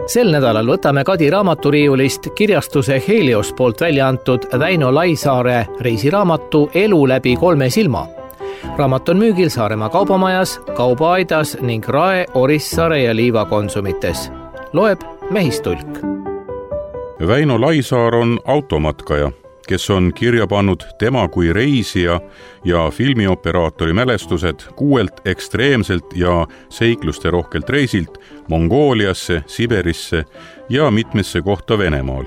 Sel nädalal võtame Kadi raamaturiiulist kirjastuse Helios poolt välja antud Väino Laisaare reisiraamatu Elu läbi 3 silma. Raamat on müügil Saaremaa kaubamajas, Kaubaaidas ning Rae, Orissaare ja Liiva konsumites. Loeb Mehistulk. Väino Laisaar on automatkaja, kes on kirja pannud tema kui reisija ja filmioperaatori mälestused 6 ekstreemselt ja seikluste rohkelt reisilt Mongooliasse, Siberisse ja mitmesse kohta Venemaal.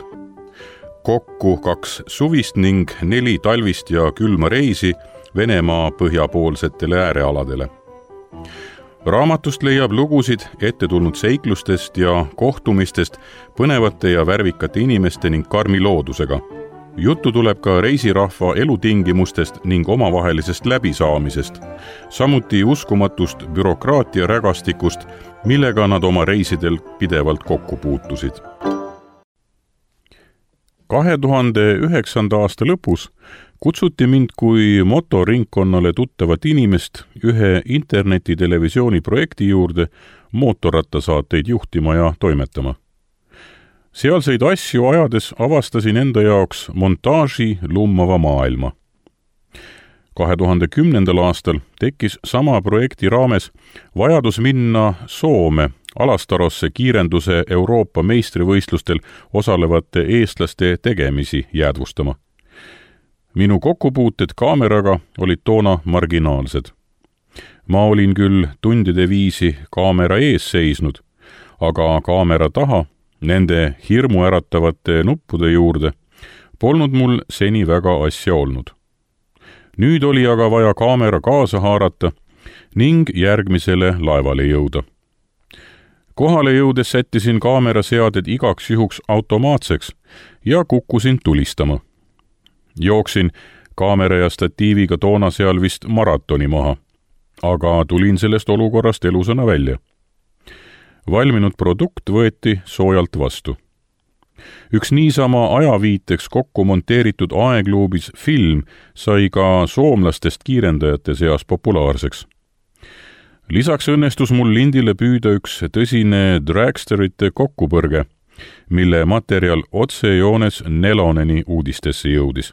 Kokku 2 suvist ning 4 talvist ja külma reisi Venemaa põhjapoolsetele äärealadele. Raamatust leiab lugusid ette tulnud seiklustest ja kohtumistest põnevate ja värvikate inimeste ning karmi loodusega. Juttu tuleb ka reisirahva elutingimustest ning omavahelisest läbisaamisest, samuti uskumatust bürokraatia rägastikust, millega nad oma reisidel pidevalt kokku puutusid. 2009. aasta lõpus kutsuti mind kui motoringkonnale tuttavat inimest ühe internetitelevisiooni projekti juurde mootorrattasaateid juhtima ja toimetama. Sealseid asju ajades avastasin enda jaoks montaaži lummava maailma. 2010. aastal tekkis sama projekti raames vajadus minna Soome Alastarosse kiirenduse Euroopa meistrivõistlustel osalevate eestlaste tegemisi jäädvustama. Minu kokkupuuted kaameraga olid toona marginaalsed. Ma olin küll tundide viisi kaamera ees seisnud, aga kaamera taha, nende hirmu äratavate nuppude juurde, polnud mul seni väga asja olnud. Nüüd oli aga vaja kaamera kaasa haarata ning järgmisele laevale jõuda. Kohale jõudes sättisin kaameraseaded igaks juhuks automaatseks ja kukkusin tulistama. Jooksin kaamera ja statiiviga toona seal vist maratoni maha, aga tulin sellest olukorrast elusana välja. Valminud produkt võeti soojalt vastu. Üks niisama ajaviiteks kokku monteeritud aegluubis film sai ka soomlastest kiirendajate seas populaarseks. Lisaks õnnestus mul lindile püüda üks tõsine dragsterite kokkupõrge, mille materjal otsejoones Neloneni uudistesse jõudis.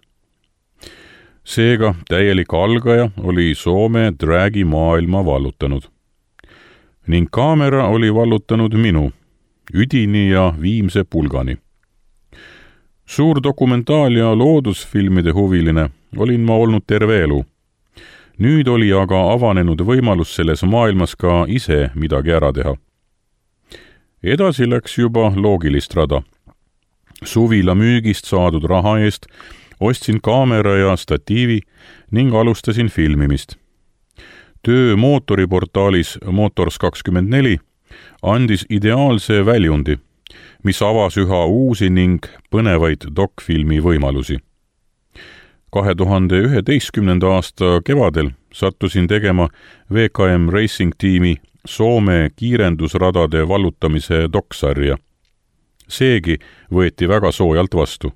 Seega täielik algaja oli Soome dragi maailma vallutanud. Ning kaamera oli vallutanud minu, üdini ja viimse pulgani. Suur dokumentaal- ja loodusfilmide huviline olin ma olnud terve elu. Nüüd oli aga avanenud võimalus selles maailmas ka ise midagi ära teha. Edasi läks juba loogilist rada. Suvila müügist saadud raha eest ostsin kaamera ja statiivi ning alustasin filmimist. Töö mootoriportaalis Motors24 andis ideaalse väljundi, mis avas üha uusi ning põnevaid dokfilmi võimalusi. 2011. aasta kevadel sattusin tegema VKM Racing tiimi Soome kiirendusradade vallutamise doksarja. Seegi võeti väga soojalt vastu.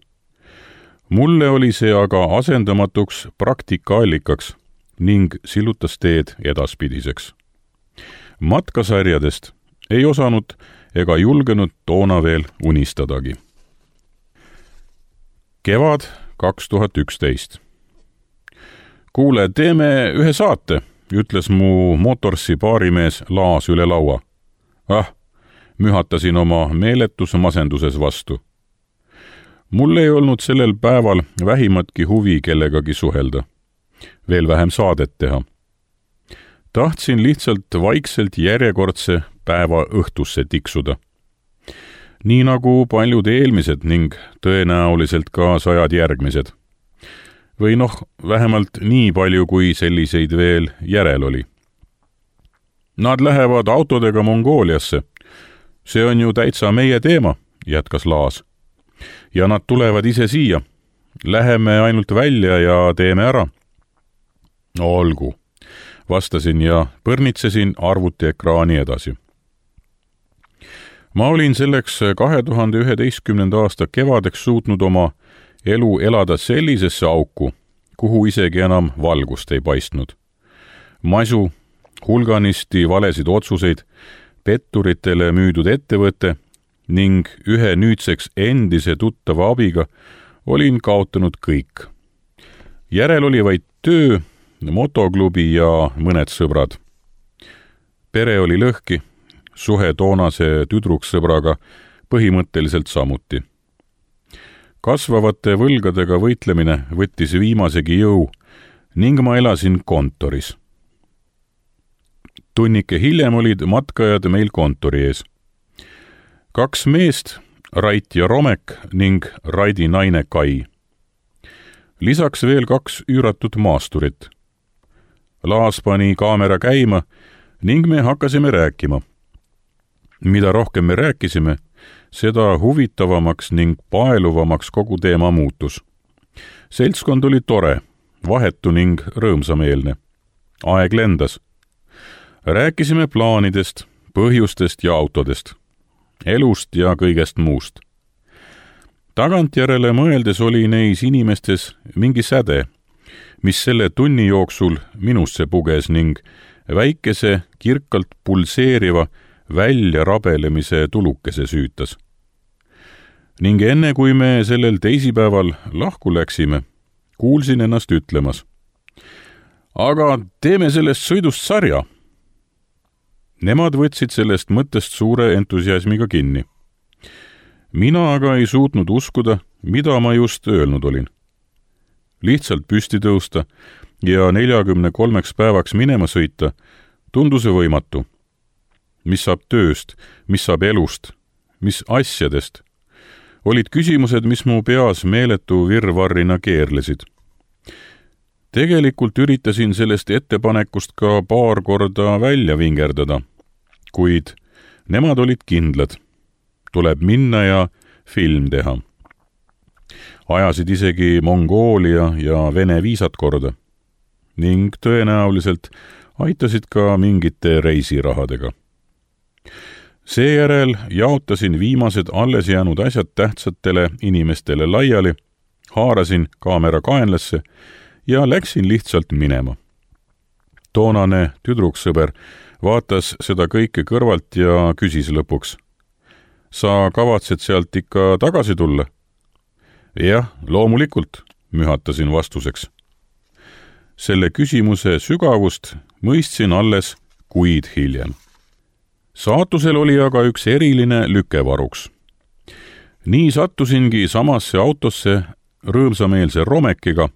Mulle oli see aga asendamatuks praktikaallikaks ning sillutas teed edaspidiseks. Matkasarjadest ei osanud ega julgenud toona veel unistadagi. Kevad 2011. Kuule, teeme ühe saate, ütles mu Motorsi baarimees Laas üle laua. Mühatasin oma meeletus masenduses vastu. Mul ei olnud sellel päeval vähimatki huvi kellegagi suhelda. Veel vähem saadet teha. Tahtsin lihtsalt vaikselt järjekordse päeva õhtusse tiksuda. Nii nagu paljud eelmised ning tõenäoliselt ka 100 järgmised. Või vähemalt nii palju, kui selliseid veel järel oli. Nad lähevad autodega Mongooliasse. See on ju täitsa meie teema, jätkas Laas. Ja nad tulevad ise siia. Läheme ainult välja ja teeme ära. Olgu, vastasin ja põrnitsesin arvutiekraani edasi. Ma olin selleks 2011. aasta kevadeks suutnud oma elu elada sellisesse auku, kuhu isegi enam valgust ei paistnud. Masu, hulganisti valesid otsuseid, petturitele müüdud ettevõte ning ühe nüüdseks endise tuttava abiga olin kaotanud kõik. Järel oli vaid töö, motoklubi ja mõned sõbrad. Pere oli lõhki, suhe toonase tüdruksõbraga põhimõtteliselt samuti. Kasvavate võlgadega võitlemine võttis viimasegi jõu ning ma elasin kontoris. Tunnike hiljem olid matkajad meil kontori ees. 2 meest, Rait ja Romek ning Raidi naine Kai. Lisaks veel 2 üüratut maasturit. Laas pani kaamera käima ning me hakkasime rääkima. Mida rohkem me rääkisime, seda huvitavamaks ning paeluvamaks kogu teema muutus. Seltskond oli tore, vahetu ning rõõmsameelne. Aeg lendas. Rääkisime plaanidest, põhjustest ja autodest, elust ja kõigest muust. Tagantjärele mõeldes oli neis inimestes mingi säde, mis selle tunni jooksul minusse puges ning väikese, kirkalt pulseeriva väljarabelemise tulukese süütas. Ning enne kui me sellel teisipäeval lahku läksime, kuulsin ennast ütlemas: aga teeme sellest sõidust sarja. Nemad võtsid sellest mõttest suure entusiasmiga kinni. Mina aga ei suutnud uskuda, mida ma just öelnud olin. Lihtsalt püsti tõusta ja 43 päevaks minema sõita tundus võimatu. Mis saab tööst, mis saab elust, mis asjadest? Olid küsimused, mis mu peas meeletu virvarrina keerlesid. Tegelikult üritasin sellest ettepanekust ka paar korda välja vingerdada, kuid nemad olid kindlad. Tuleb minna ja film teha. Ajasid isegi Mongoolia ja Vene viisat korda ning tõenäoliselt aitasid ka mingite reisirahadega. Seejärel jaotasin viimased alles jäänud asjad tähtsatele inimestele laiali, haarasin kaamera kaenlasse ja läksin lihtsalt minema. Toonane tüdruksõber vaatas seda kõike kõrvalt ja küsis lõpuks: sa kavatsed sealt ikka tagasi tulla? Jah, loomulikult, mühatasin vastuseks. Selle küsimuse sügavust mõistsin alles kuid hiljem. Saatusel oli aga üks eriline lükevaruks. Nii sattusingi samasse autosse rõõmsameelse Romekiga,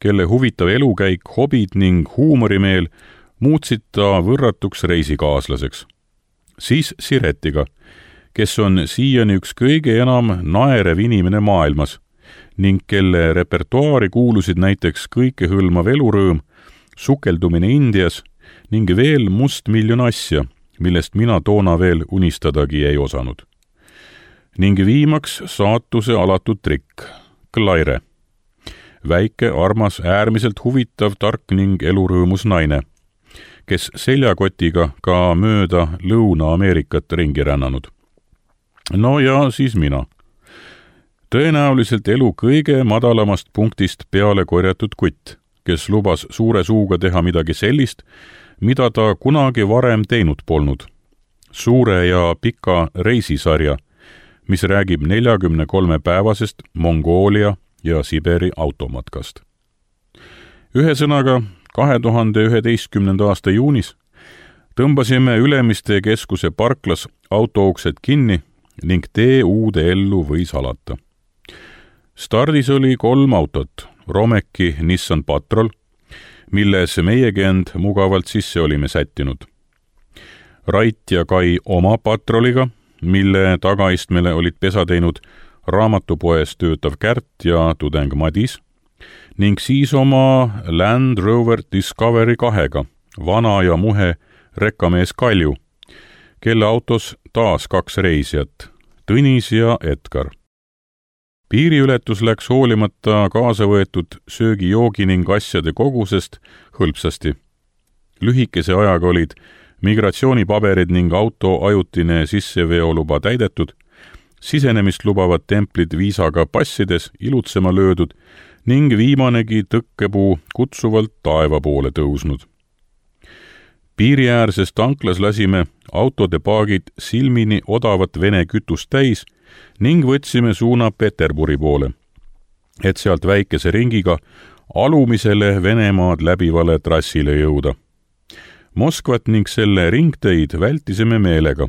kelle huvitav elukäik, hobid ning huumorimeel muutsid ta võrratuks reisikaaslaseks. Siis Siretiga, kes on siiani üks kõige enam naerev inimene maailmas ning kelle repertuaari kuulusid näiteks kõikehõlmav elurõõm, sukeldumine Indias ning veel mustmiljon asja, millest mina toona veel unistadagi ei osanud. Ning viimaks saatuse alatud trikk, Claire. Väike, armas, äärmiselt huvitav, tark ning elurõõmus naine, kes seljakotiga ka mööda Lõuna-Ameerikat ringi rännanud. No ja siis mina. Tõenäoliselt elu kõige madalamast punktist peale korjatud kutt, kes lubas suure suuga teha midagi sellist, mida ta kunagi varem teinud polnud. Suure ja pika reisisarja, mis räägib 43-päevasest Mongoolia ja Siberi automatkast. Ühesõnaga, 2011. aasta juunis tõmbasime Ülemiste keskuse parklas autouksed kinni ning tee uude ellu võis alata. Stardis oli 3 autot, Romeki Nissan Patrol, milles meiegi end mugavalt sisse olime sättinud. Rait ja Kai oma Patroliga, mille tagaistmele olid pesa teinud raamatupoes töötav Kärt ja tudeng Madis, ning siis oma Land Rover Discovery 2-ga, vana ja muhe rekkamees Kalju, kelle autos taas 2 reisijat, Tõnis ja Edgar. Piiriületus läks hoolimata kaasa võetud söögi-joogi ning asjade kogusest hõlpsasti. Lühikese ajaga olid migratsioonipaberid ning auto ajutine sisseveoluba täidetud, sisenemist lubavad templid viisaga passides ilutsema löödud ning viimanegi tõkkepuu kutsuvalt taeva poole tõusnud. Piiriäärses tanklas lasime autode paagid silmini odavat Vene kütust täis ning võtsime suuna Peterburi poole, et sealt väikese ringiga alumisele Venemaad läbivale trassile jõuda. Moskvat ning selle ringteid vältisime meelega.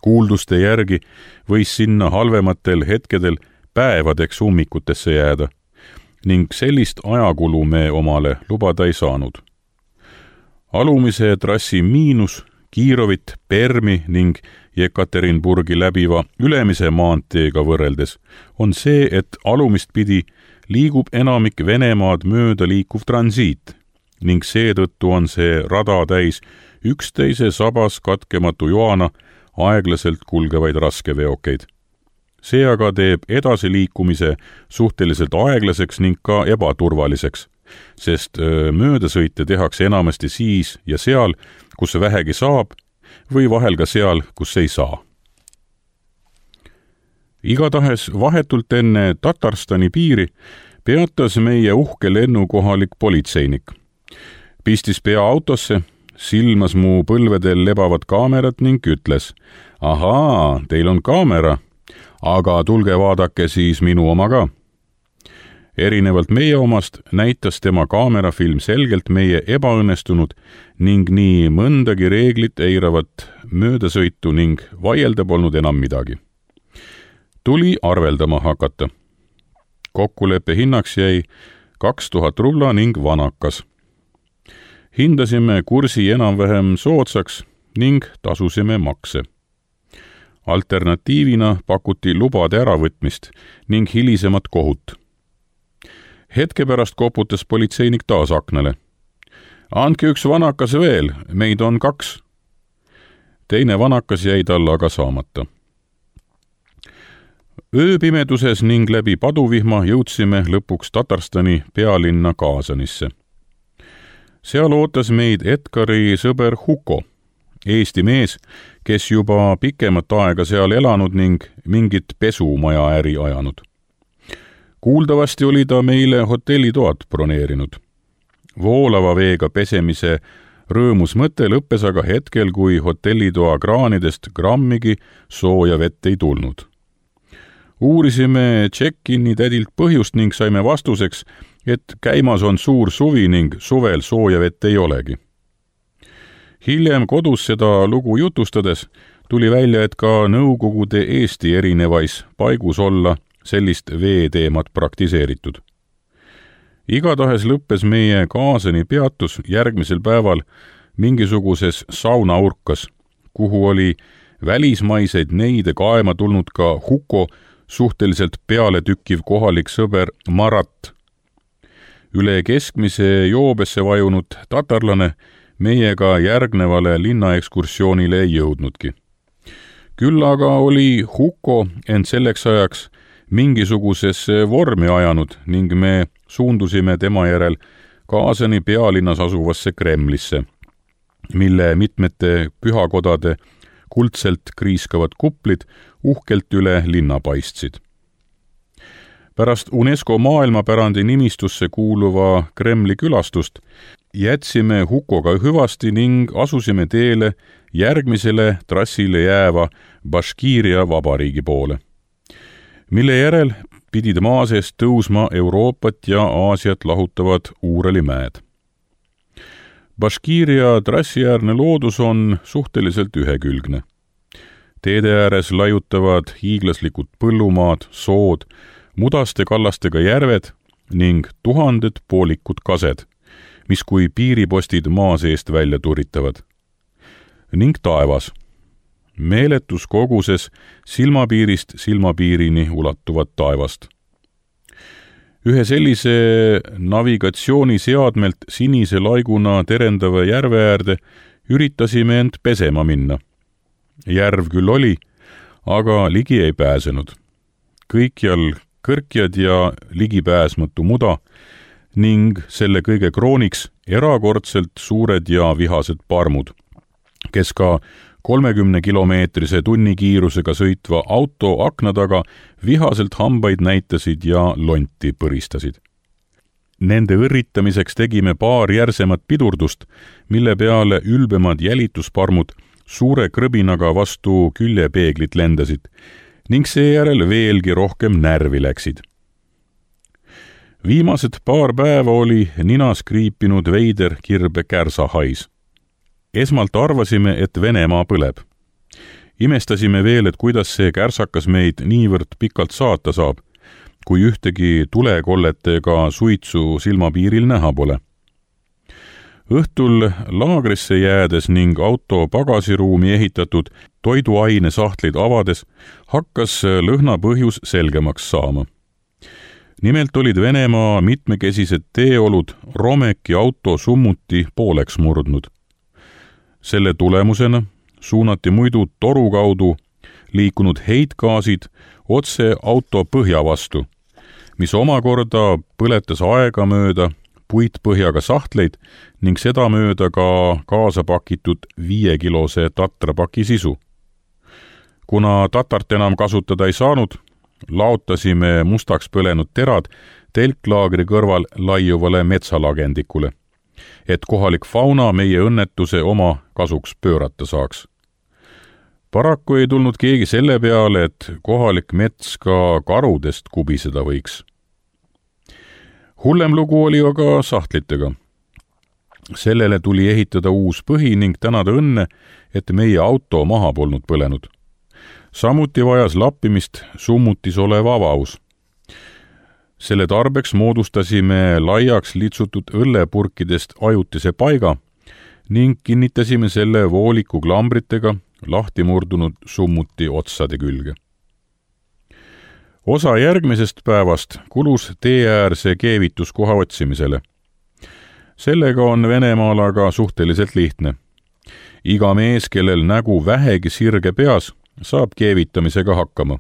Kuulduste järgi võis sinna halvematel hetkedel päevadeks ummikutesse jääda ning sellist ajakulu me omale lubada ei saanud. Alumise trassi miinus Kiirovit, Permi ning Jekaterinburgi läbiva ülemise maanteega võrreldes on see, et alumist pidi liigub enamik Venemaad mööda liikuv transiit ning seetõttu on see rada täis üksteise sabas katkematu joana aeglaselt kulgevaid raskeveokeid. See aga teeb edasiliikumise suhteliselt aeglaseks ning ka ebaturvaliseks, sest möödasõite tehakse enamasti siis ja seal, kus vähegi saab, või vahel ka seal, kus ei saa. Igatahes vahetult enne Tatarstani piiri peatas meie uhke lennukohalik politseinik. Pistis pea autosse, silmas mu põlvedel lebavat kaamerat ning ütles, ahaa, teil on kaamera, aga tulge vaadake siis minu oma ka. Erinevalt meie omast näitas tema kaamerafilm selgelt meie ebaõnnestunud ning nii mõndagi reeglit eiravat möödasõitu ning vaielda polnud enam midagi. Tuli arveldama hakata. Kokkuleppe hinnaks jäi 2000 rubla ning vanakas. Hindasime kursi enam-vähem soodsaks ning tasusime makse. Alternatiivina pakuti lubade äravõtmist ning hilisemat kohut. Hetke pärast koputas politseinik taas aknale. Andke üks vanakas veel, meid on 2. Teine vanakas jäi tal aga saamata. Ööpimeduses ning läbi paduvihma jõudsime lõpuks Tatarstani pealinna Kaasanisse. Seal ootas meid Edgari sõber Huko, Eesti mees, kes juba pikemat aega seal elanud ning mingit pesumaja äri ajanud. Kuuldavasti oli ta meile hotellitoad broneerinud. Voolava veega pesemise rõõmus mõte lõppes aga hetkel, kui hotellitoa kraanidest grammigi sooja vett ei tulnud. Uurisime check-in'i tädilt põhjust ning saime vastuseks, et käimas on suur suvi ning suvel sooja vett ei olegi. Hiljem kodus seda lugu jutustades tuli välja, et ka Nõukogude Eesti erinevais paigus olla sellist veeteemat praktiseeritud. Igatahes lõppes meie Kaasani peatus järgmisel päeval mingisuguses saunaurkas, kuhu oli välismaiseid neide kaema tulnud ka Huko suhteliselt pealetükkiv kohalik sõber Marat. Üle keskmise joobesse vajunud tatarlane meiega järgnevale linnaekskursioonile ei jõudnudki. Küll aga oli Huko end selleks ajaks mingisugusesse vormi ajanud ning me suundusime tema järel Kaasani pealinnas asuvasse Kremlisse, mille mitmete pühakodade kuldselt kriiskavad kuplid uhkelt üle linna paistsid. Pärast UNESCO maailmapärandi nimistusse kuuluva Kremli külastust jätsime Hukoga hüvasti ning asusime teele järgmisele trassile jääva Baškiiria vabariigi poole, mille järel pidid maa seest tõusma Euroopat ja Aasiat lahutavad Uuralimäed. Baškiiria trassiäärne loodus on suhteliselt ühekülgne. Teede ääres laiutavad hiiglaslikud põllumaad, sood, mudaste kallastega järved ning tuhanded poolikud kased, mis kui piiripostid maa seest välja turitavad. Ning taevas, meeletus koguses silmapiirist silmapiirini ulatuvat taevast. Ühe sellise navigatsiooniseadmelt sinise laiguna terendava järve äärde üritasime end pesema minna. Järv küll oli, aga ligi ei pääsenud. Kõikjal kõrkjad ja ligipääsmatu muda ning selle kõige krooniks erakordselt suured ja vihased parmud, kes ka 30-kilomeetrise tunnikiirusega sõitva auto akna taga vihaselt hambaid näitasid ja lonti põristasid. Nende õrritamiseks tegime paar järsemat pidurdust, mille peale ülbemad jälitusparmud suure krõbinaga vastu küljepeeglit lendasid ning seejärel veelgi rohkem närvi läksid. Viimased paar päeva oli ninas kriipinud veider kirbe kärsahais. Esmalt arvasime, et Venemaa põleb. Imestasime veel, et kuidas see kärsakas meid niivõrd pikalt saata saab, kui ühtegi tulekolletega suitsu silmapiiril näha pole. Õhtul laagrisse jäädes ning auto pagasiruumi ehitatud toiduaine sahtleid avades hakkas lõhna põhjus selgemaks saama. Nimelt olid Venemaa mitmekesised teeolud Romeki auto summuti pooleks murdnud. Selle tulemusena suunati muidu toru kaudu liikunud heitgaasid otse auto põhja vastu, mis omakorda põletas aegamööda puitpõhjaga sahtleid ning sedamööda ka kaasa pakitud 5-kilose tatrapaki sisu. Kuna tatart enam kasutada ei saanud, laotasime mustaks põlenud terad telklaagri kõrval laiuvale metsalagendikule, et kohalik fauna meie õnnetuse oma kasuks pöörata saaks. Paraku ei tulnud keegi selle peale, et kohalik mets ka karudest kubiseda võiks. Hullem lugu oli aga sahtlitega. Sellele tuli ehitada uus põhi ning tänada õnne, et meie auto maha polnud põlenud. Samuti vajas lappimist summutis olev avaus. Selle tarbeks moodustasime laiaks litsutud õllepurkidest ajutise paiga ning kinnitasime selle vooliku klambritega lahti murdunud summuti otsade külge. Osa järgmisest päevast kulus teeäärse keevituskoha otsimisele. Sellega on Venemaal aga suhteliselt lihtne. Iga mees, kellel nägu vähegi sirge peas, saab keevitamisega hakkama.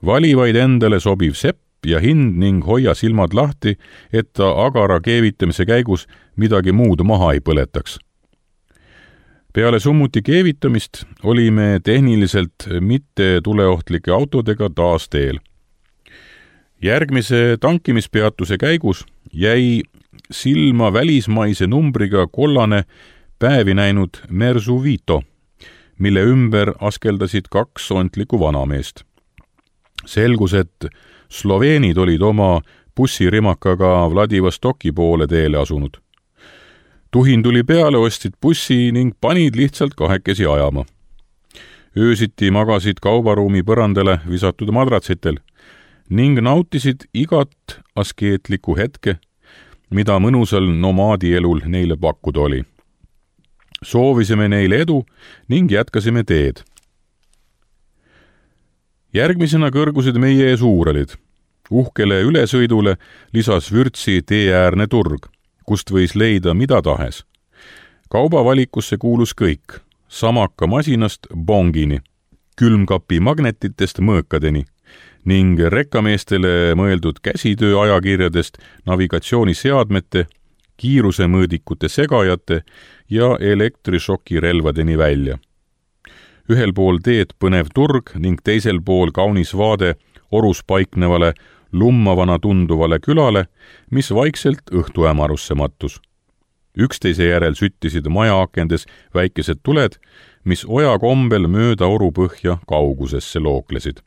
Vali vaid endale sobiv sepp ja hind ning hoia silmad lahti, et ta agara keevitamise käigus midagi muud maha ei põletaks. Peale summuti keevitamist olime tehniliselt mitte tuleohtlike autodega taas teel. Järgmise tankimispeatuse käigus jäi silma välismaise numbriga kollane päevi näinud Mersu Vito, mille ümber askeldasid 2 ontlikku vanameest. Selgus, et sloveenid olid oma bussirimakaga Vladivostoki poole teele asunud. Tuhin tuli peale, ostsid bussi ning panid lihtsalt kahekesi ajama. Öösiti magasid kaubaruumi põrandale visatud madratsitel ning nautisid igat askeetlikku hetke, mida mõnusal nomaadielul neile pakkuda oli. Soovisime neile edu ning jätkasime teed. Järgmisena kõrgusid meie ees Uuralid. Uhkele ülesõidule lisas vürtsi teeäärne turg, kust võis leida mida tahes. Kaubavalikusse kuulus kõik, samaka masinast bongini, külmkapi magnetitest mõõkadeni ning rekkameestele mõeldud käsitöö ajakirjadest navigatsiooniseadmete, kiirusemõõdikute segajate ja elektrišokirelvadeni välja. Ühel pool teed põnev turg ning teisel pool kaunis vaade orus paiknevale lummavana tunduvale külale, mis vaikselt õhtuämarusse mattus. Üksteise järel süttisid majaakendes väikesed tuled, mis oja kombel mööda oru põhja kaugusesse looklesid.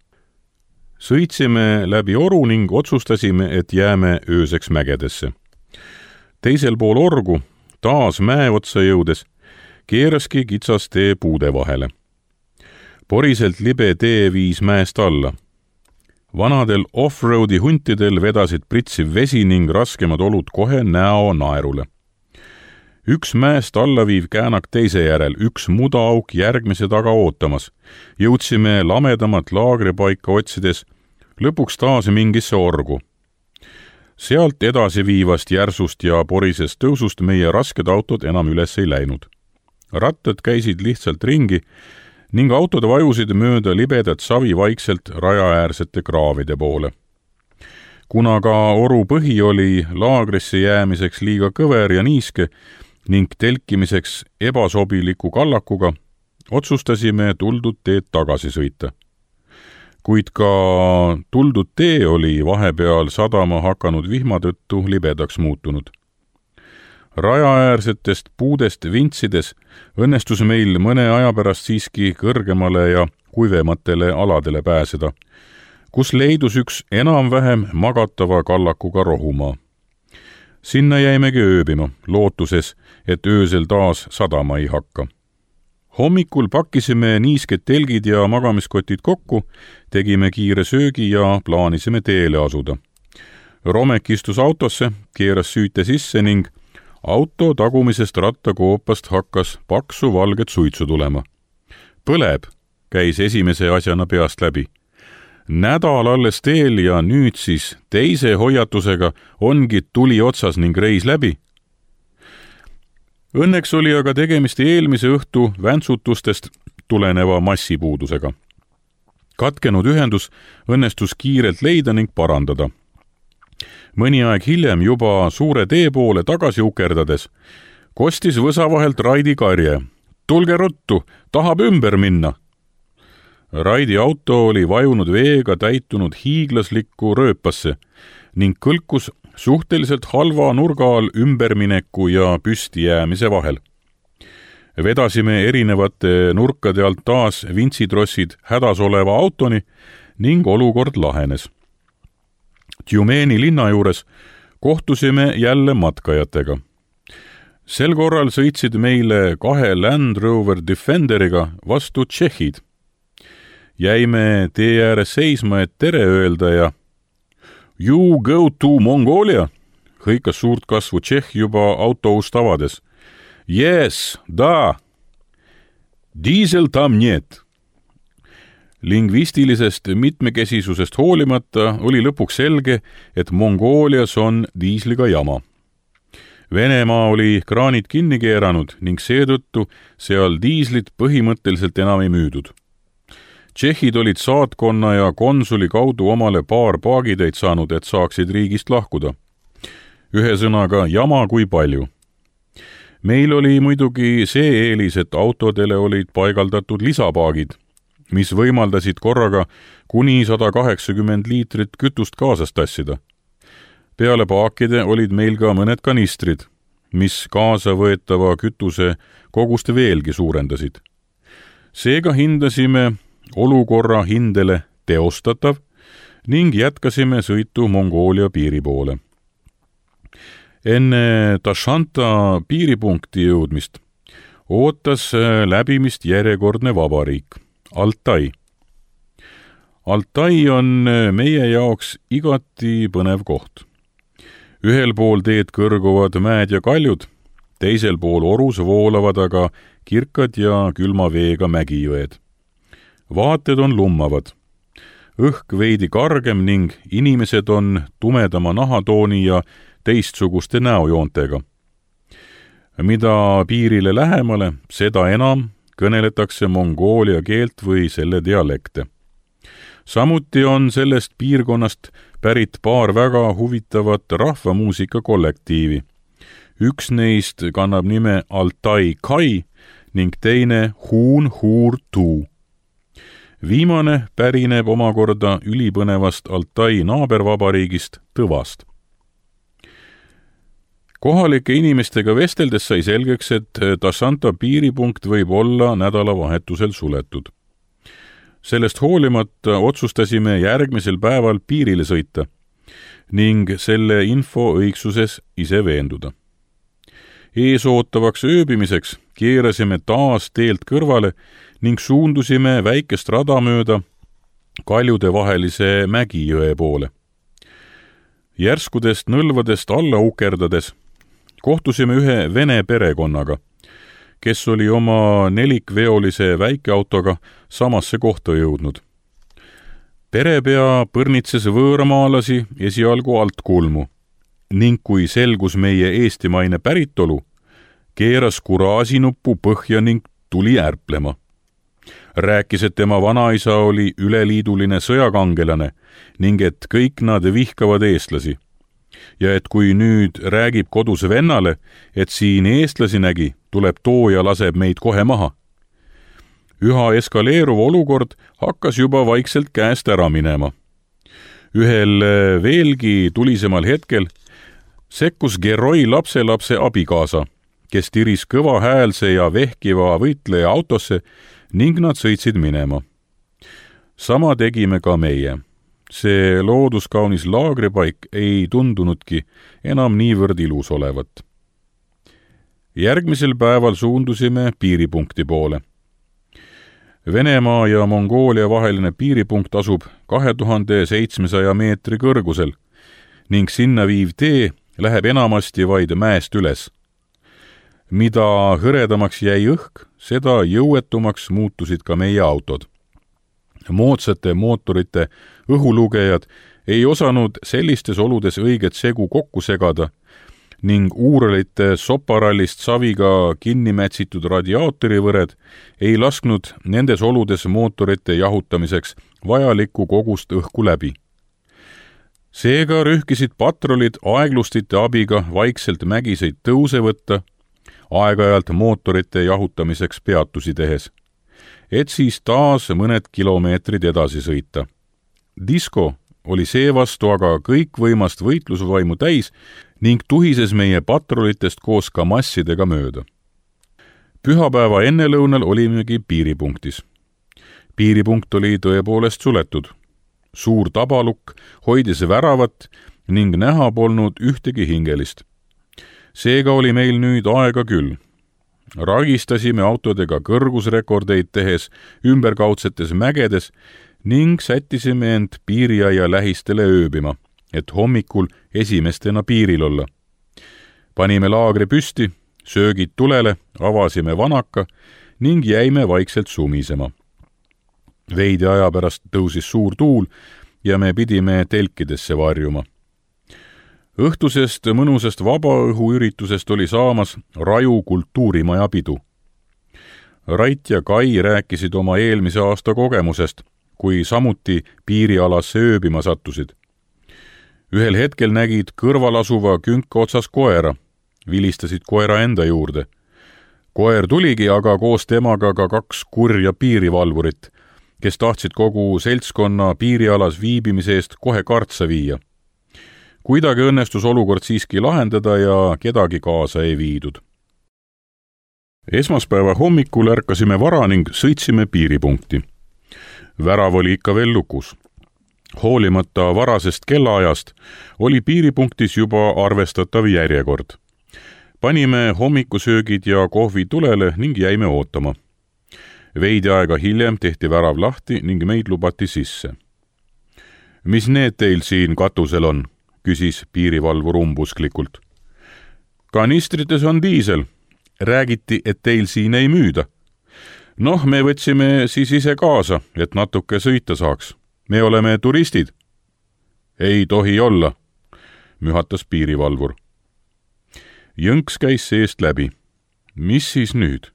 Sõitsime läbi oru ning otsustasime, et jääme ööseks mägedesse. Teisel pool orgu, taas mäe otsa jõudes, keeraski kitsas tee puude vahele. Poriselt libe tee viis mäest alla. Vanadel off-roadi huntidel vedasid pritsiv vesi ning raskemad olud kohe näo naerule. Üks mäest allaviiv käänak teise järel, üks mudaauk järgmise taga ootamas. Jõudsime lamedamat laagripaika otsides, lõpuks taas mingisse orgu. Sealt edasi viivast järsust ja porisest tõusust meie rasked autod enam üles ei läinud. Rattad käisid lihtsalt ringi ning autod vajusid mööda libedat savi vaikselt rajaäärsete kraavide poole. Kuna ka oru põhi oli laagrisse jäämiseks liiga kõver ja niiske ning telkimiseks ebasobiliku kallakuga, otsustasime tuldud teed tagasi sõita. kuid ka tuldud tee oli vahepeal sadama hakanud vihma tõttu libedaks muutunud. Rajaäärsetest puudest vintsides õnnestus meil mõne aja pärast siiski kõrgemale ja kuivematele aladele pääseda, kus leidus üks enam-vähem magatava kallakuga rohumaa. Sinna jäimegi ööbima, lootuses, et öösel taas sadama ei hakka. Hommikul pakkisime niisked telgid ja magamiskotid kokku, tegime kiire söögi ja plaanisime teele asuda. Romek istus autosse, keeras süüte sisse ning auto tagumisest rattakoopast hakkas paksu valget suitsu tulema. Põleb, käis esimese asjana peast läbi. Nädal alles teel ja nüüd siis teise hoiatusega ongi tuli otsas ning reis läbi. Õnneks oli aga tegemist eelmise õhtu väntsutustest tuleneva massipuudusega. Katkenud ühendus õnnestus kiirelt leida ning parandada. Mõni aeg hiljem juba suure tee poole tagasi ukerdades kostis võsa vahelt Raidi karje. Tulge ruttu, tahab ümber minna. Raidi auto oli vajunud veega täitunud hiiglaslikku rööpasse ning kõlkus suhteliselt halva nurga all ümbermineku ja püstijäämise vahel. Vedasime erinevate nurkade alt taas vintsitrossid hädas oleva autoni ning olukord lahenes. Tjumeni linna juures kohtusime jälle matkajatega. Sel korral sõitsid meile 2 Land Rover Defenderiga vastu tšehhid. Jäime tee ääres seisma, et tere öelda ja "You go to Mongolia", hõikas suurt kasvu tšehh juba autoust avades. "Yes, da. Diesel tam niet." Lingvistilisest mitmekesisusest hoolimata oli lõpuks selge, et Mongoolias on diisliga jama. Venemaa oli kraanid kinni keeranud ning seetõttu seal diislit põhimõtteliselt enam ei müüdud. Tšehhid olid saatkonna ja konsuli kaudu omale paar paagitäit saanud, et saaksid riigist lahkuda. Ühesõnaga jama kui palju. Meil oli muidugi see eelis, et autodele olid paigaldatud lisapaagid, mis võimaldasid korraga kuni 180 liitrit kütust kaasas tassida. Peale paakide olid meil ka mõned kanistrid, mis kaasa võetava kütuse kogust veelgi suurendasid. Seega hindasime olukorra hindele teostatav ning jätkasime sõitu Mongoolia piiri poole. Enne Tashanta piiripunkti jõudmist ootas läbimist järjekordne vabariik, Altai. Altai on meie jaoks igati põnev koht. Ühel pool teed kõrguvad mäed ja kaljud, teisel pool orus voolavad aga kirkad ja külma veega mägijõed. Vaated on lummavad. Õhk veidi kargem ning inimesed on tumedama nahatooni ja teistsuguste näojoontega. Mida piirile lähemale, seda enam kõneletakse mongoolia keelt või selle dialekte. Samuti on sellest piirkonnast pärit paar väga huvitavat rahvamuusika kollektiivi. Üks neist kannab nime Altai Kai ning teine Huun Huur Tuu. Viimane pärineb omakorda ülipõnevast Altai naabervabariigist Tõvast. Kohalike inimestega vesteldes sai selgeks, et Tashanta piiripunkt võib olla nädalavahetusel suletud. Sellest hoolimata otsustasime järgmisel päeval piirile sõita ning selle info õigsuses ise veenduda. Eesootavaks ööbimiseks keerasime taas teelt kõrvale ning suundusime väikest rada mööda kaljude vahelise mägijõe poole. Järskudest nõlvadest alla ukerdades kohtusime ühe vene perekonnaga, kes oli oma nelikveolise väikeautoga samasse kohta jõudnud. Perepea põrnitses võõramaalasi esialgu alt kulmu ning kui selgus meie eestimaine päritolu, keeras kuraasinuppu põhja ning tuli ärplema. Rääkis, et tema vanaisa oli üleliiduline sõjakangelane ning et kõik nad vihkavad eestlasi. Ja et kui nüüd räägib kodus vennale, et siin eestlasi nägi, tuleb too ja laseb meid kohe maha. Üha eskaleeruv olukord hakkas juba vaikselt käest ära minema. Ühel veelgi tulisemal hetkel sekkus Geroi lapselapse abikaasa, kes tiris kõvahäälse ja vehkiva võitleja autosse ning nad sõitsid minema. Sama tegime ka meie. See looduskaunis laagripaik ei tundunudki enam niivõrd ilus olevat. Järgmisel päeval suundusime piiripunkti poole. Venemaa ja Mongoolia vaheline piiripunkt asub 2700 meetri kõrgusel ning sinna viiv tee läheb enamasti vaid mäest üles. Mida hõredamaks jäi õhk, seda jõuetumaks muutusid ka meie autod. Moodsate mootorite õhulugejad ei osanud sellistes oludes õiget segu kokku segada ning uuralite soparallist saviga kinni mätsitud radiaatorivõred ei lasknud nendes oludes mootorite jahutamiseks vajalikku kogust õhku läbi. Seega rühkisid patrolid aeglustite abiga vaikselt mägiseid tõuse võtta, aeg-ajalt mootorite jahutamiseks peatusi tehes, et siis taas mõned kilomeetrid edasi sõita. Disko oli seevastu aga kõikvõimast võitlusvaimu täis ning tuhises meie patrolitest koos ka massidega mööda. Pühapäeva ennelõunal olimegi piiripunktis. Piiripunkt oli tõepoolest suletud. Suur tabalukk hoidis väravat ning näha polnud ühtegi hingelist. Seega oli meil nüüd aega küll. Ragistasime autodega kõrgusrekordeid tehes ümberkaudsetes mägedes ning sättisime end piiriaia lähistele ööbima, et hommikul esimestena piiril olla. Panime laagri püsti, söögid tulele, avasime vanaka ning jäime vaikselt sumisema. Veidi aja pärast tõusis suur tuul ja me pidime telkidesse varjuma. Õhtusest mõnusast vabaõhuüritusest oli saamas Raju kultuurimaja pidu. Rait ja Kai rääkisid oma eelmise aasta kogemusest, kui samuti piirialasse ööbima sattusid. Ühel hetkel nägid kõrval asuva künka otsas koera, vilistasid koera enda juurde. Koer tuligi aga koos temaga ka 2 kurja piirivalvurit, kes tahtsid kogu seltskonna piirialas viibimise eest kohe kartsa viia. Kuidagi õnnestus olukord siiski lahendada ja kedagi kaasa ei viidud. Esmaspäeva hommikul ärkasime vara ning sõitsime piiripunkti. Värav oli ikka veel lukus. Hoolimata varasest kellaajast oli piiripunktis juba arvestatav järjekord. Panime hommikusöögid ja kohvi tulele ning jäime ootama. Veidi aega hiljem tehti värav lahti ning meid lubati sisse. Mis need teil siin katusel on? Küsis piirivalvur umbusklikult. Kanistrites on diisel. Räägiti, et teil siin ei müüda. Noh, me võtsime siis ise kaasa, et natuke sõita saaks. Me oleme turistid. Ei tohi olla, mühatas piirivalvur. Jõnks käis seest läbi. Mis siis nüüd?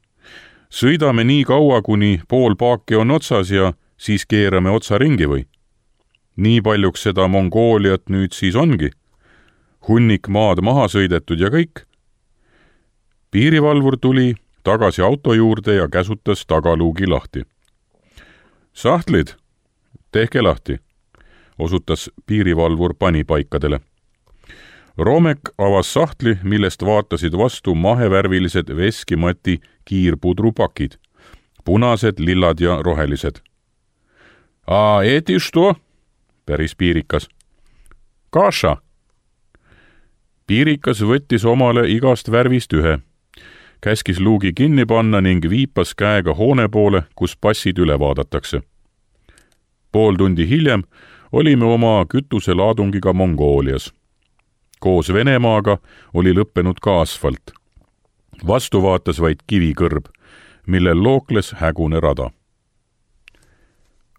Sõidame nii kaua, kuni pool paaki on otsas ja siis keerame otsa ringi või? Nii paljuks seda Mongooliat nüüd siis ongi. Hunnik maad maha sõidetud ja kõik. Piirivalvur tuli tagasi auto juurde ja käsutas tagaluugi lahti. Sahtlid, tehke lahti, osutas piirivalvur panipaikadele. Romek avas sahtli, millest vaatasid vastu mahevärvilised veskimati kiirpudrupakid, punased, lillad ja rohelised. A eti što? Päris piirikas. Kaša. Piirikas võttis omale igast värvist ühe. Käskis luugi kinni panna ning viipas käega hoone poole, kus passid üle vaadatakse. Pool tundi hiljem olime oma kütuselaadungiga Mongoolias. Koos Venemaaga oli lõppenud ka asfalt. Vastu vaatas vaid kivikõrb, millel lookles hägune rada.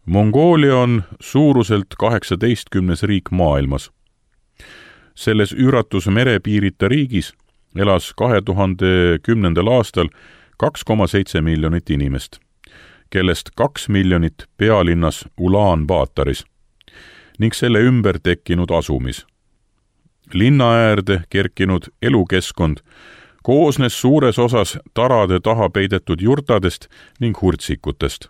Mongoolia on suuruselt 18. riik maailmas. Selles üüratus merepiirita riigis elas 2010. aastal 2,7 miljonit inimest, kellest 2 miljonit pealinnas Ulaan-Baataris ning selle ümber tekkinud asumis. Linna äärde kerkinud elukeskkond koosnes suures osas tarade taha peidetud jurtadest ning hurtsikutest.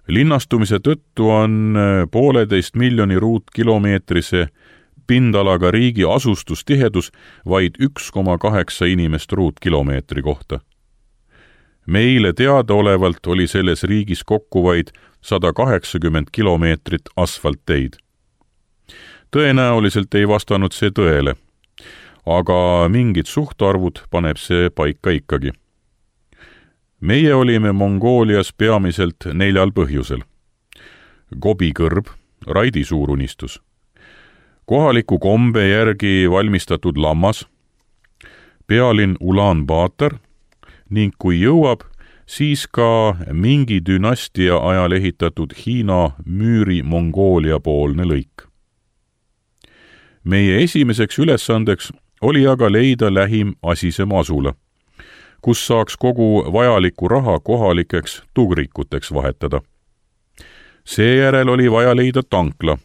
Linnastumise tõttu on 1,5 miljoni ruutkilomeetrise pindalaga riigi asustustihedus vaid 1,8 inimest ruutkilomeetri kohta. Meile teadaolevalt oli selles riigis kokku vaid 180 kilomeetrit asfaltteid. Tõenäoliselt ei vastanud see tõele, aga mingid suhtarvud paneb see paika ikkagi. Meie olime Mongoolias peamiselt 4 põhjusel. Gobi kõrb, Raidi suurunistus, kohaliku kombe järgi valmistatud lammas, pealinn Ulaanbaatar ning kui jõuab, siis ka mingi dünastia ajal ehitatud Hiina müüri Mongoolia poolne lõik. Meie esimeseks ülesandeks oli aga leida lähim asisem asula, kus saaks kogu vajaliku raha kohalikeks tugrikuteks vahetada. Seejärel oli vaja leida tankla,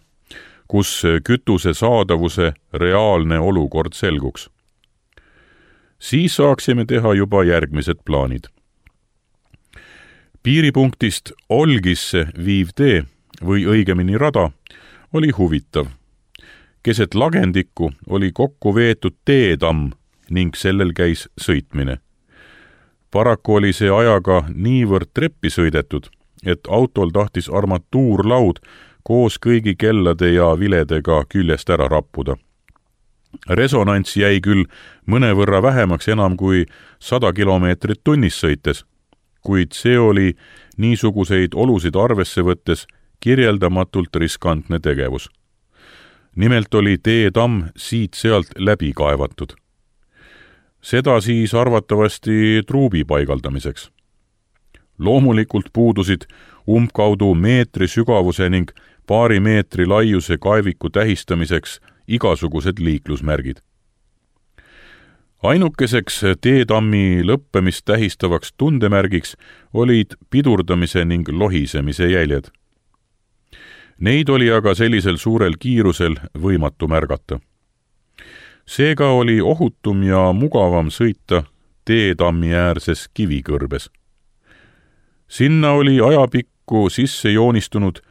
kus kütuse saadavuse reaalne olukord selguks. Siis saaksime teha juba järgmised plaanid. Piiripunktist Olgisse viiv tee, või õigemini rada, oli huvitav. Keset lagendikku oli kokku veetud teetamm ning sellel käis sõitmine. Paraku oli see ajaga niivõrd treppi sõidetud, et autol tahtis armatuurlaud koos kõigi kellade ja viledega küljest ära rappuda. Resonants jäi küll mõnevõrra vähemaks enam kui 100 kilomeetrit tunnis sõites, kuid see oli niisuguseid olusid arvesse võttes kirjeldamatult riskantne tegevus. Nimelt oli teetamm siit-sealt läbi kaevatud. Seda siis arvatavasti truubi paigaldamiseks. Loomulikult puudusid umbkaudu meetri sügavuse ning paari meetri laiuse kaeviku tähistamiseks igasugused liiklusmärgid. Ainukeseks teetammi lõppemist tähistavaks tundemärgiks olid pidurdamise ning lohisemise jäljed. Neid oli aga sellisel suurel kiirusel võimatu märgata. Seega oli ohutum ja mugavam sõita teetammi äärses kivikõrbes. Sinna oli ajapikku sisse joonistunud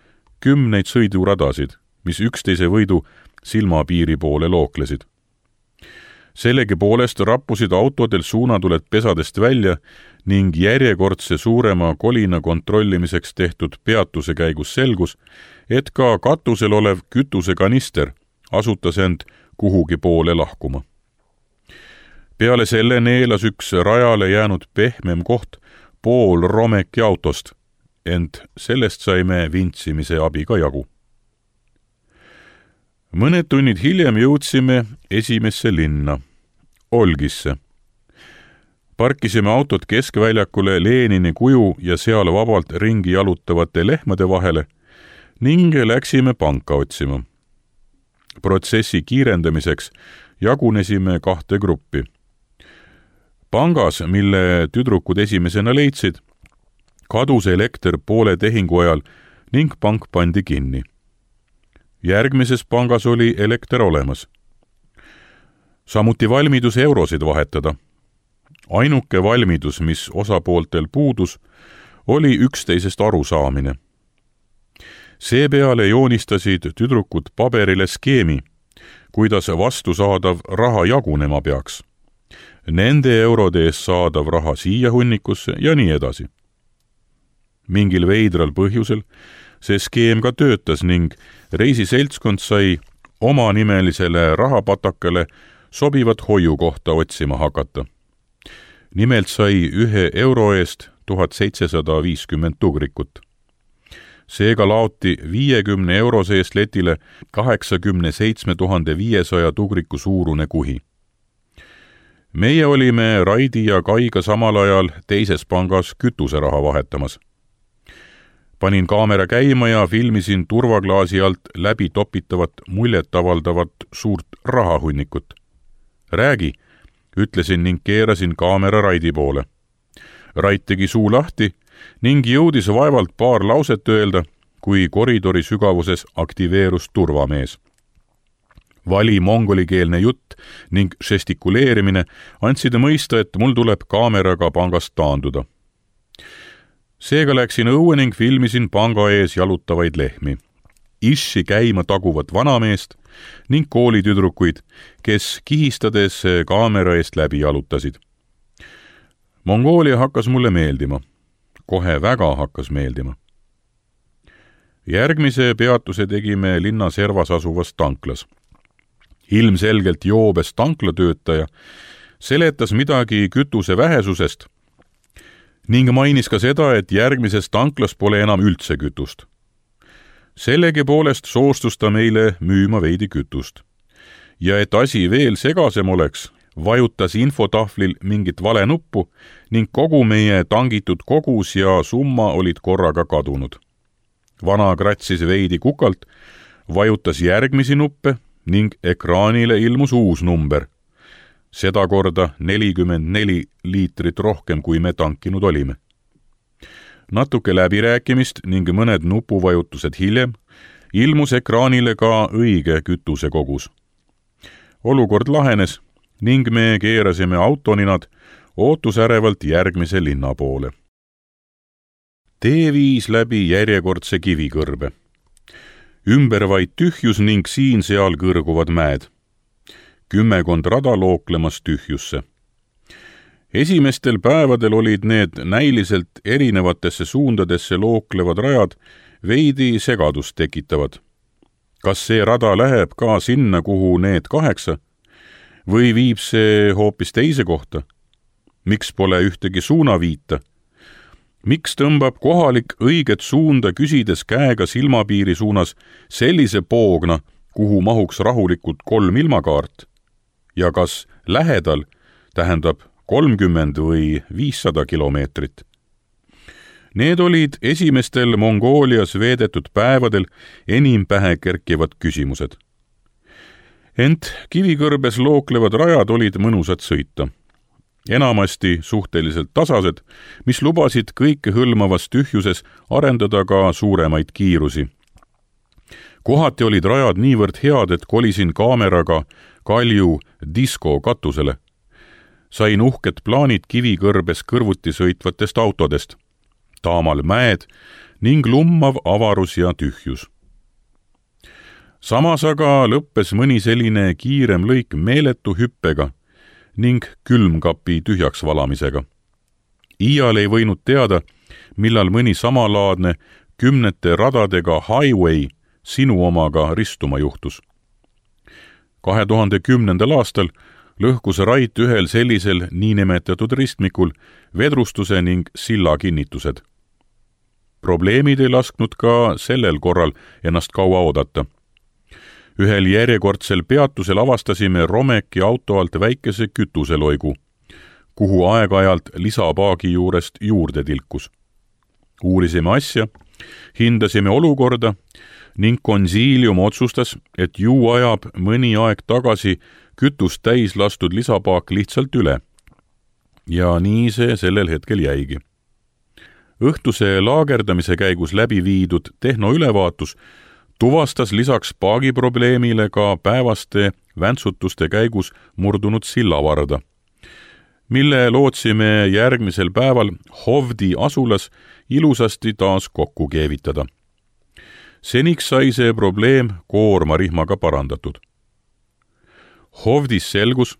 10 sõiduradasid, mis üksteise võidu silmapiiri poole looklesid. Sellegipoolest rappusid autodel suunatuled pesadest välja ning järjekordse suurema kolina kontrollimiseks tehtud peatuse käigus selgus, et ka katusel olev kütusekanister asutas end kuhugi poole lahkuma. Peale selle neelas üks rajale jäänud pehmem koht pool romeki autost, ent sellest saime vintsimise abiga jagu. Mõned tunnid hiljem jõudsime esimesse linna, Olgisse. Parkisime autot keskväljakule Lenini kuju ja seal vabalt ringi jalutavate lehmade vahele ning läksime panka otsima. Protsessi kiirendamiseks jagunesime 2 gruppi. Pangas, mille tüdrukud esimesena leidsid, kadus elekter poole tehingu ajal ning pank pandi kinni. Järgmises pangas oli elekter olemas. Samuti valmidus eurosid vahetada. Ainuke valmidus, mis osapooltel puudus, oli üksteisest arusaamine. Seepeale joonistasid tüdrukud paberile skeemi, kuidas vastusaadav raha jagunema peaks. Nende eurode eest saadav raha siia hunnikusse ja nii edasi. Mingil veidral põhjusel see skeem ka töötas ning reisiseltskond sai omanimelisele rahapatakale sobivat hoiukohta otsima hakata. Nimelt sai 1 euro eest 1750 tugrikut. Seega laoti 50 euro seest letile 87 500 tugriku suurune kuhi. Meie olime Raidi ja Kaiga samal ajal teises pangas kütuseraha vahetamas. Panin kaamera käima ja filmisin turvaklaasi alt läbi topitavat muljetavaldavat suurt rahahunnikut. Räägi, ütlesin ning keerasin kaamera Raidi poole. Rait tegi suu lahti ning jõudis vaevalt paar lauset öelda, kui koridori sügavuses aktiveerus turvamees. Vali mongolikeelne jutt ning žestikuleerimine andsid mõista, et mul tuleb kaameraga pangast taanduda. Seega läksin õue ning filmisin panga ees jalutavaid lehmi, issi käima taguvat vanameest ning koolitüdrukuid, kes kihistades kaamera eest läbi jalutasid. Mongoolia hakkas mulle meeldima. Kohe väga hakkas meeldima. Järgmise peatuse tegime linna servas asuvas tanklas. Ilmselgelt joobes tanklatöötaja seletas midagi kütuse vähesusest ning mainis ka seda, et järgmises tanklas pole enam üldse kütust. Sellegi poolest soostus ta meile müüma veidi kütust. Ja et asi veel segasem oleks, vajutas infotahvlil mingit vale nuppu ning kogu meie tangitud kogus ja summa olid korraga kadunud. Vana kratsis veidi kukalt, vajutas järgmisi nuppe ning ekraanile ilmus uus number. Seda korda 44 liitrit rohkem, kui me tankinud olime. Natuke läbirääkimist ning mõned nupuvajutused hiljem ilmus ekraanile ka õige kütuse kogus. Olukord lahenes ning me keerasime autoninad ootusärevalt järgmise linna poole. Tee viis läbi järjekordse kivikõrbe. Ümber vaid tühjus ning siin-seal kõrguvad mäed. 10 rada looklemas tühjusse. Esimestel päevadel olid need näiliselt erinevatesse suundadesse looklevad rajad veidi segadust tekitavad. Kas see rada läheb ka sinna, kuhu need 8? Või viib see hoopis teise kohta? Miks pole ühtegi suunaviita? Miks tõmbab kohalik õiget suunda küsides käega silmapiiri suunas sellise poogna, kuhu mahuks rahulikult 3 ilmakaart? Ja kas lähedal tähendab 30 või 500 kilomeetrit? Need olid esimestel Mongoolias veedetud päevadel enim pähe kerkivad küsimused. Ent kivikõrbes looklevad rajad olid mõnusad sõita. Enamasti suhteliselt tasased, mis lubasid kõike hõlmavas tühjuses arendada ka suuremaid kiirusi. Kohati olid rajad niivõrd head, et kolisin kaameraga Kalju disko katusele. Sain uhked plaanid kivikõrbes kõrvuti sõitvatest autodest, taamal mäed ning lummav avarus ja tühjus. Samas aga lõppes mõni selline kiirem lõik meeletu hüppega ning külmkapi tühjaks valamisega. Iial ei võinud teada, millal mõni samalaadne 10 radadega highway sinu omaga ristuma juhtus. 2010. aastal lõhkus Rait ühel sellisel niinimetatud ristmikul vedrustuse ning silla kinnitused. Probleemid ei lasknud ka sellel korral ennast kaua oodata. Ühel järjekordsel peatusel avastasime Romeki auto alt väikese kütuseloigu, kuhu aeg-ajalt lisapaagi juurest juurde tilkus. Uurisime asja, hindasime olukorda ning konsiilium otsustas, et ju ajab mõni aeg tagasi kütust täis lastud lisapaak lihtsalt üle. Ja nii see sellel hetkel jäigi. Õhtuse laagerdamise käigus läbi viidud tehnoülevaatus tuvastas lisaks paagiprobleemile ka päevaste väntsutuste käigus murdunud sillavarda, mille lootsime järgmisel päeval Hovdi asulas ilusasti taas kokku keevitada. Seniks sai see probleem koormarihmaga parandatud. Hovdis selgus,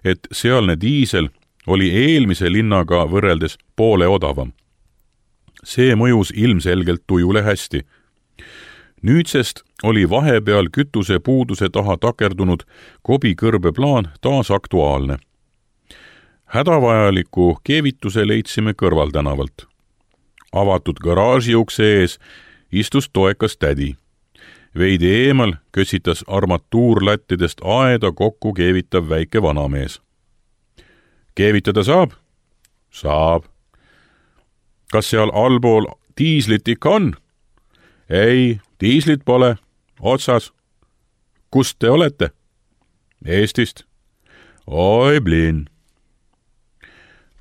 et sealne diisel oli eelmise linnaga võrreldes poole odavam. See mõjus ilmselgelt tujule hästi. Nüüdsest oli vahepeal kütuse puuduse taha takerdunud kobikõrbe plaan taas aktuaalne. Hädavajaliku keevituse leidsime kõrvaltänavalt. Avatud garaaži ukse ees istus toekas tädi. Veidi eemal kösitas armatuurlattidest aeda kokku keevitav väike vanamees. Keevitada saab? Saab. Kas seal allpool diislit ikka on? Ei, diislit pole. Otsas. Kust te olete? Eestist. Oi, blin.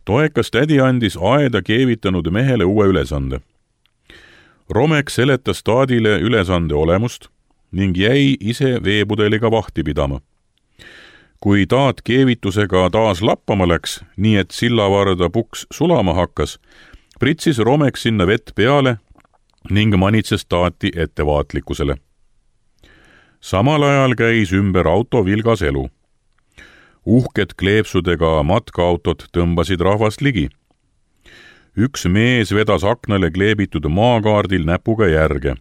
Toekas tädi andis aeda keevitanud mehele uue ülesande. Romek seletas taadile ülesande olemust ning jäi ise veepudeliga vahti pidama. Kui taat keevitusega taas lappama läks, nii et sillavarda puks sulama hakkas, pritsis Romek sinna vett peale ning manitses taati ettevaatlikkusele. Samal ajal käis ümber auto vilgas elu. Uhked kleepsudega matkaautod tõmbasid rahvast ligi. Üks mees vedas aknale kleebitud maakaardil näpuga järge.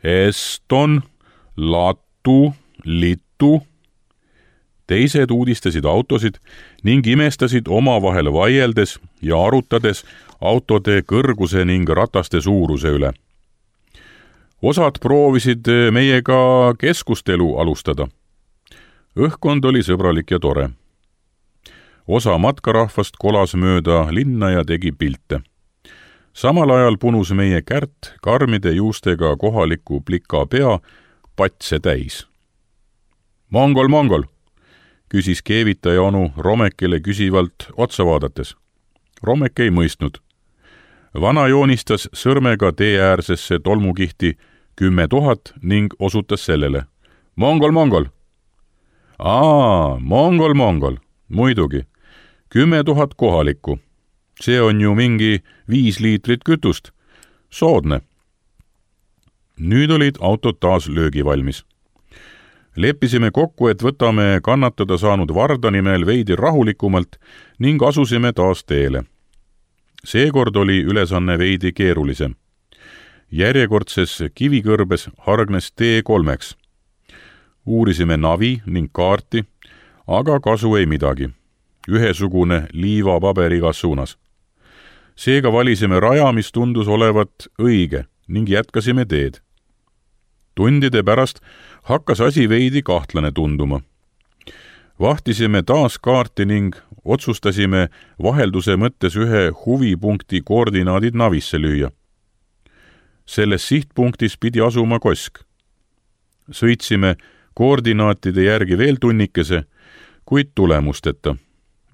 Eston, Latu, Litu. Teised uudistasid autosid ning imestasid omavahel vaieldes ja arutades autode kõrguse ning rataste suuruse üle. Osad proovisid meiega keskustelu alustada. Õhkkond oli sõbralik ja tore. Osa matkarahvast kolas mööda linna ja tegi pilte. Samal ajal punus meie Kärt karmide juustega kohaliku plika pea patse täis. Mongol, Mongol, küsis keevitaja onu Romekile küsivalt otsa vaadates. Romek ei mõistnud. Vana joonistas sõrmega teeäärsesse tolmukihti 10 000 ning osutas sellele. Mongol, Mongol. Mongol, Mongol. Muidugi. 10 000 kohalikku. See on ju mingi 5 liitrit kütust. Soodne. Nüüd olid autod taas löögivalmis. Leppisime kokku, et võtame kannatada saanud Varda nimel veidi rahulikumalt ning asusime taas teele. Seekord oli ülesanne veidi keerulisem. Järjekordses kivikõrbes hargnes tee 3. Uurisime navi ning kaarti, aga kasu ei midagi. Ühesugune liivapaber igas suunas. Seega valisime raja, mis tundus olevat õige ning jätkasime teed. Tundide pärast hakkas asi veidi kahtlane tunduma. Vahtisime taas kaarti ning otsustasime vahelduse mõttes ühe huvipunkti koordinaadid navisse lüüa. Selles sihtpunktis pidi asuma Kosk. Sõitsime koordinaatide järgi veel tunnikese, kuid tulemusteta.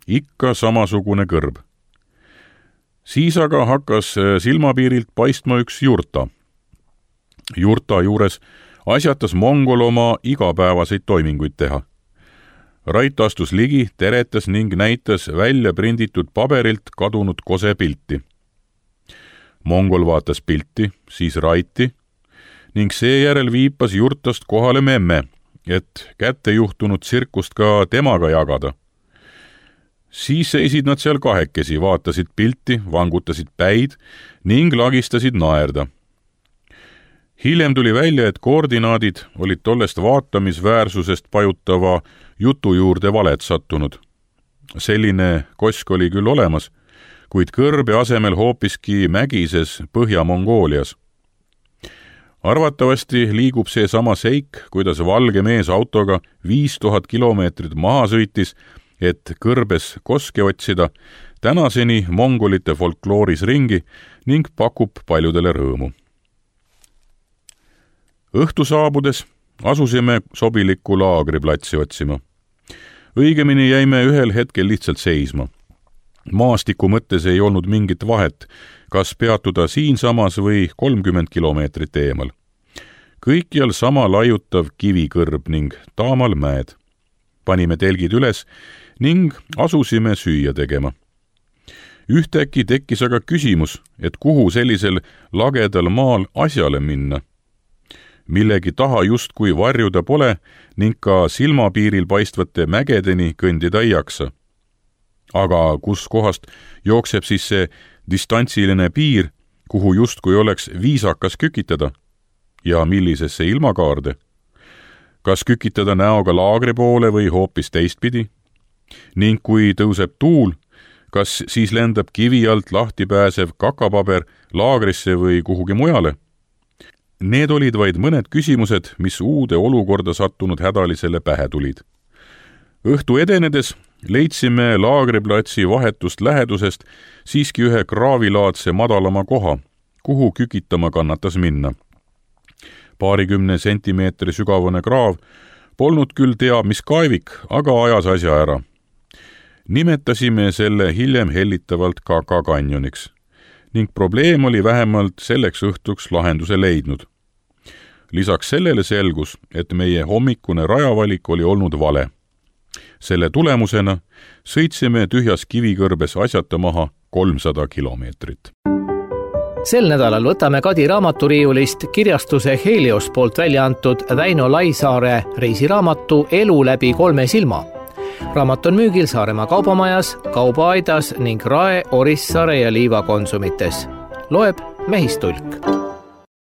Ikka samasugune kõrb. Siis aga hakkas silmapiirilt paistma üks jurta. Jurta juures asjatas Mongol oma igapäevaseid toiminguid teha. Rait astus ligi, teretas ning näitas välja prinditud paberilt kadunud kose pilti. Mongol vaatas pilti, siis Raiti ning seejärel viipas jurtast kohale memme, et kätte juhtunud tsirkust ka temaga jagada. Siis seisid nad seal kahekesi, vaatasid pilti, vangutasid päid ning lagistasid naerda. Hiljem tuli välja, et koordinaadid olid tollest vaatamisväärsusest pajutava jutu juurde valet sattunud. Selline Kosk oli küll olemas, kuid kõrbe asemel hoopiski mägises Põhja-Mongoolias. Arvatavasti liigub see sama seik, kuidas valge mees autoga 5000 kilomeetrit maha sõitis, et kõrbes koske otsida, tänaseni mongolite folklooris ringi ning pakub paljudele rõõmu. Õhtu saabudes asusime sobilikku laagriplatsi otsima. Õigemini jäime ühel hetkel lihtsalt seisma. Maastiku mõttes ei olnud mingit vahet, kas peatuda siinsamas või 30 kilomeetrit eemal. Kõikjal sama laiutav kivikõrb ning taamal mäed. Panime telgid üles ning asusime süüa tegema. Ühtäkki tekkis aga küsimus, et kuhu sellisel lagedal maal asjale minna. Millegi taha justkui varjuda pole ning ka silmapiiril paistvate mägedeni kõndida ei jaksa. Aga kus kohast jookseb siis see distantsiline piir, kuhu justkui oleks viisakas kükitada? Ja millisesse ilmakaarde? Kas kükitada näoga laagri poole või hoopis teistpidi? Ning kui tõuseb tuul, kas siis lendab kivi alt lahti pääsev kakapaber laagrisse või kuhugi mujale? Need olid vaid mõned küsimused, mis uude olukorda sattunud hädalisele pähe tulid. Õhtu edenedes leidsime laagriplatsi vahetust lähedusest siiski ühe kraavilaadse madalama koha, kuhu kükitama kannatas minna. 20 sentimeetri sügavune kraav polnud küll teab mis kaevik, aga ajas asja ära. Nimetasime selle hiljem hellitavalt Kaka kanjoniks ning probleem oli vähemalt selleks õhtuks lahenduse leidnud. Lisaks sellele selgus, et meie hommikune rajavalik oli olnud vale. Selle tulemusena sõitsime tühjas kivikõrbes asjata maha 300 kilomeetrit. Sel nädalal võtame Kadi raamaturiiulist kirjastuse Helios poolt välja antud Väino Laisaare reisiraamatu Elu läbi 3 silma. Raamat on müügil Saaremaa kaubamajas, Kaubaaidas ning Rae, Orissaare ja Liiva konsumites. Loeb Mehistulk.